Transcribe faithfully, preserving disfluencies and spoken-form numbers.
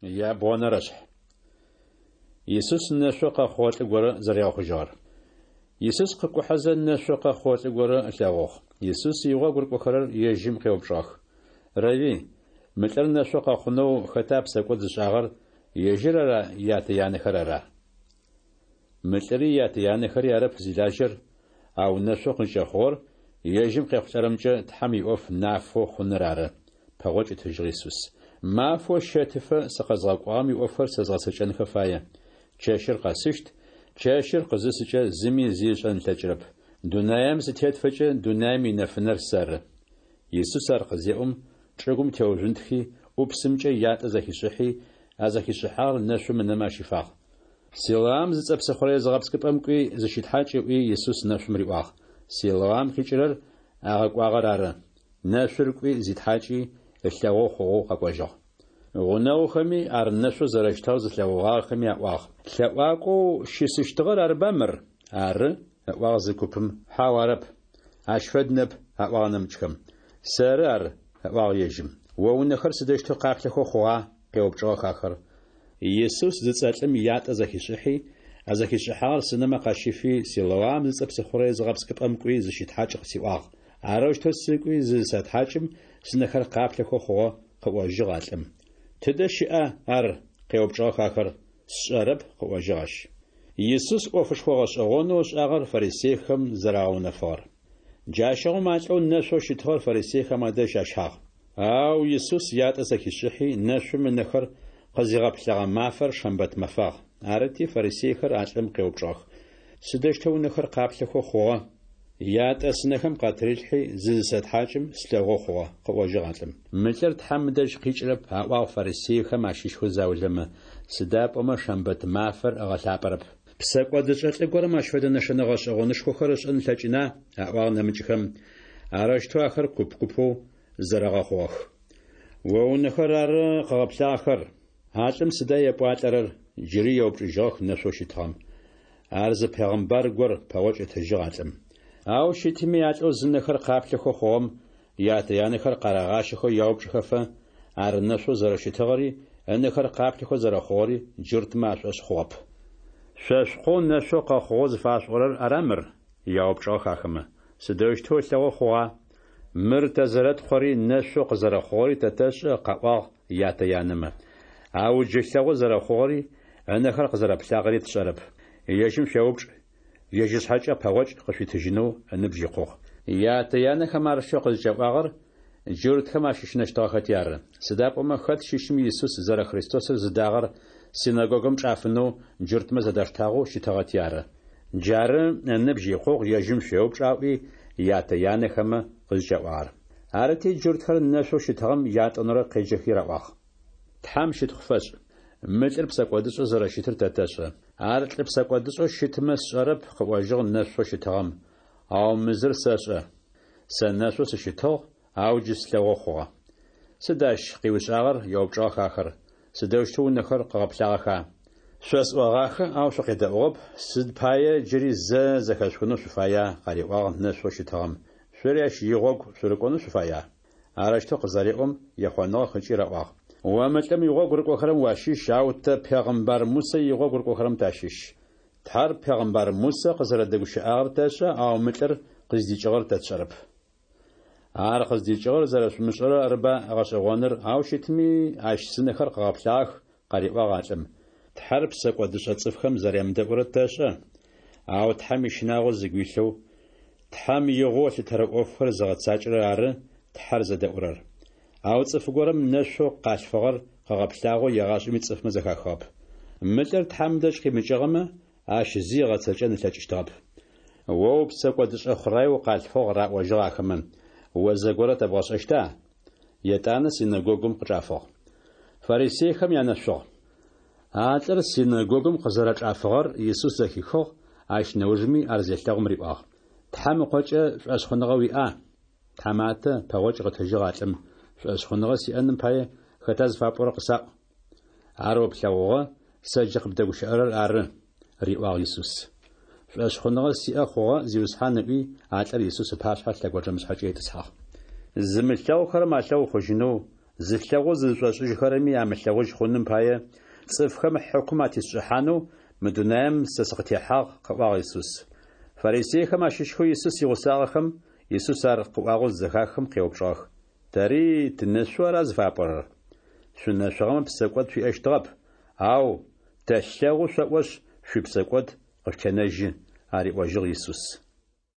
Ябгъонэрэшъхь. Исус нэшъо къэхъугъэ лӏы горэ зэригъэхъужьыгъэр. Исус къыкӏухьэзэ нэшъо къэхъугъэ лӏы горэ ылъэгъугъ. Исус игъогу рыкӏохэрэр ежьым къеупчӏыгъэх: «Рэви, мы лӏыр нэшъо къэхъунэу хэта псэкӏод зышӏагъэр, ежьыр ара ятэ-янэхэр ара?» Мы лӏыри ятэ-янэхэри арэп зилажьэр, ау нэшъо къызкӏэхъугъэр ежьым къехъулӏэрэмкӏэ Тхьэм иӏоф нафэу хъуныр ары, пэгъокӏ ытыжьыгъ Исус. Мафэу щэтыфэ сыкъэзгъэкӏуагъэм иӏофхэр сэ згъэцэкӏэнхэ фае. Чэщыр къэсыщт, чэщыр къызысыкӏэ зыми зи ышӏэн ылъэкӏырэп. Дунаем сытетыфэкӏэ дунаим инэфынэр сэры. Исус ар къызеӏом, чӏыгум теужъунтхи, ӏупсымкӏэ ятӏэ зэхишӏыхьи, а зэхишӏыхьагъэр нэшъум ынэмэ ащифагъ. Силоам зыцӏэ псыхъурэе зыгъэпскӏыпӏэм кӏуи зыщытхьакӏ ыӏуи Исус нэшъум риӏуагъ. Силоам къикӏырэр агъэкӏуагъэр ары. Нэшъур кӏуи зитхьакӏи, ылъэгъоу хъугъэу къэкӏожьыгъ. Гъунэгъухэми ар нэшъоу зэрэщытыгъэр зылъэгъугъагъэхэми аӏуагъ: «Лъэӏуакӏоу щысыщтыгъэр арыба мыр?» «Ары», ыӏуагъ зы купым, «Хьау, арэп. Ащ фэд ныӏэп», аӏуагъ нэмыкӏхэм. «Сэры ар», ыӏуагъ ежьым. «О унэхэр сыдэущтэу къаплъэхэу хъугъа?» къеупчӏыгъэх ахэр. Исус зыцӏэ лӏым ятӏэ зэхишӏыхьи, а зэхишӏыхьагъэр сынэмэ къащифи, Силоам зыцӏэ псыхъурэе зыгъэпскӏыпӏэм кӏуи зыщытхьакӏ къысиӏуагъ. Арэущтэу сыкӏуи зызысэтхьакӏым, сынэхэр къаплъэхэу хъугъэ, къыӏожьыгъ а лӏым. Тыдэ щыӏа ар? Къеупчӏыгъэх ахэр. Сшӏэрэп, къыӏожьыгъ ащ. Исус ӏофышхо гъэшӏэгъонэу ышӏагъэр фарисейхэм зэрагъэунэфыгъэр. Джащыгъум а лӏэу нэшъоу щытыгъэр фарисейхэм адэжь ащагъ. Ау Исус ятӏэ зэхишӏыхьи, нэшъум ынэхэр къызигъэплъэгъэ мафэр шэмбэт мэфагъ. Арыти фарисейхэр а лӏым къеупчӏыгъэх: «Сыдэущтэу унэхэр къаплъэхэу хъугъэ?» Ятӏэ сынэхэм къатырилъхьи, зызысэтхьакӏым, слъэгъоу хъугъэ, къыӏожьыгъ а лӏым. Мы лӏыр Тхьэм ыдэжь къикӏырэп, аӏуагъ фарисейхэм ащыщхэу заулэмэ, сыда пӏомэ шэмбэт мафэр ыгъэлъапӏэрэп. Псэкӏодышӏэ лӏы горэм ащ фэдэ нэшэнэ гъэшӏэгъонышхохэр ышӏэн ылъэкӏына? Аӏуагъ нэмыкӏхэм. Арэущтэу ахэр куп-купэу зэрэгъэхъугъэх. О унэхэр ары къыгъэплъагъэхэр. А лӏым сыда епӏуалӏэрэр? Джыри еупчӏыжьыгъэх нэшъоу щытыгъэм. Ар зы пегъымбар гор, пэгъокӏ ытыжьыгъ а лӏым. Ау щытми а лӏэу зынэхэр къаплъэхэу хъугъэм ятэ-янэхэр къарагъащэхэу яупчӏыхэфэ, ар нэшъоу зэрэщытыгъэри, ынэхэр къаплъэхэу зэрэхъугъэри джуртмэ ашӏошъ хъугъэп. Шъо шъукъоу нэшъоу къэхъугъэу зыфашъуӏорэр ара мыр? Яупчӏыгъэх ахэмэ. Сыдэущтэу ылъэгъоу хъугъа? Мыр тэ зэрэткъори нэшъоу къызэрэхъугъэри тэ тэшӏэ, къаӏуагъ ятэ-янэмэ. Ау джы ылъэгъоу зэрэхъугъэри, ынэхэр къызэрэплъагъэри тшӏэрэп. Ежьым шъуеупчӏ, ежь ышъхьэкӏэ пэгъокӏ къышъуитыжьынэу ыныбжь икъугъ. Ятэ-янэхэм ар шъо къызкӏаӏуагъэр джуртхэм ащыщынэщтыгъэхэти ары. Сыда пӏомэ хэт щыщми Исус зэрэ Христосыр зыдагъэр синэгогум чӏафынэу джуртмэ зэдаштагъэу щытыгъэти ары. Джары ыныбжь икъугъ, ежьым шъуеупчӏ аӏуи ятэ-янэхэмэ къызкӏаӏуагъэр. Арыти джуртхэр нэшъоу щытыгъэм ятӏонэрэ къеджэхи раӏуагъ: Тхьэм щытхъу фэшӏ. Мы лӏыр псэкӏодышӏэу зэрэщытыр тэ тэшӏэ. Ар лӏы псэкӏодышӏэу щытмэ сшӏэрэп, къыӏожьыгъ нэшъоу щытыгъэм, ау мы зыр сэшӏэ. Сэ нэшъоу сыщытыгъ, ау джы слъэгъоу хъугъэ. Сыд ащ къыуишӏагъэр? Еупчӏыгъэх ахэр. Сыдэущтэу унэхэр къыгъэплъагъэха? Шъосӏогъахэ, ау шъукъедэӏугъэп, сыд пае джыри зэ зэхэшъухынэу шъуфая? Къариӏуагъ нэшъоу щытыгъэм. Шъори ащ игъогу шъурыкӏонэу шъуфая? Арэущтэу къызареӏом, ехъоныгъэх ыкӏи раӏуагъ: О мы лӏым игъогу рыкӏохэрэм уащыщ, ау тэ пегъымбар Мусэ игъогу рыкӏохэрэм тащыщ. Тхьэр пегъымбар Мусэ къызэрэдэгущыӏагъэр тэшӏэ, ау мы лӏыр къыздикӏыгъэр тэ тшӏэрэп. Ар къыздикӏыгъэр зэрэшъумышӏэрэр арыба гъэшӏэгъоныр, ау щытми ащ сынэхэр къыгъэплъагъэх, къариӏуагъ а лӏым. Тхьэр псэкӏодышӏэ цӏыфхэм зэрямыдэӏурэр тэшӏэ, ау Тхьэм ищынагъо зыгу илъэу, Тхьэм игъоу ылъытэрэ ӏофхэр зыгъэцакӏэрэр ары Тхьэр зэдэӏурэр. Ау цӏыф горэм нэшъоу къалъфыгъэр къыгъэплъагъэу егъашӏэми цӏыфмэ зэхахыгъэп. Мы лӏыр Тхьэм дэжь къимыкӏыгъэмэ, ащ зи ыгъэцэкӏэн ылъэкӏыщтыгъэп. О упсэкӏодышӏэ хъураеу укъалъфыгъ, раӏожьыгъ ахэмэ, о зэгорэ тэбгъэшӏэщта? Етӏанэ синэгогум къычӏафыгъ. Фарисейхэм янэшъугъ. А лӏыр синэгогум къызэрэчӏафыгъэр Исус зэхихыгъ, ащ нэужми ар зелъэгъум риӏуагъ: Тхьэм ыкъокӏэ шӏошъхъуныгъэ уиӏа? Тхьаматэ, пэгъокӏ къытыжьыгъ а лӏым, шӏошъхъуныгъэ сиӏэным пае хэта зыфапӏорэр къысаӏу. Ар о плъэгъугъэ, сэ джы къыбдэгущыӏэрэр ары, риӏуагъ Исус. Шӏошъхъуныгъэ сиӏэ хъугъэ, Зиусхьан ыӏуи, а лӏыр Исус ыпашъхьэ лъэгонджэмышъхьэкӏэ итӏысхьагъ. Зымылъэгъухэрэм алъэгъу хъужьынэу, Зылъэгъоу зызышӏошӏыжьхэрэми амылъэгъужь хъуным пае, цӏыфхэм хьыкум атесшӏыхьанэу мы дунаем сэ сыкъытехьагъ, къыӏуагъ Исус. Фарисейхэм ащыщхэу Исус игъусагъэхэм Исус ар къыӏуагъэу зызэхахым къеупчӏыгъэх, Тэри тынэшъу ара зыфапӏорэр? Шъунэшъугъэмэ, псэкӏод шъуиӏэщтыгъэп, ау Тэлъэгъу шъоӏошъ, шъуипсэкӏод къышъутенэжьы, ариӏожьыгъ Исус.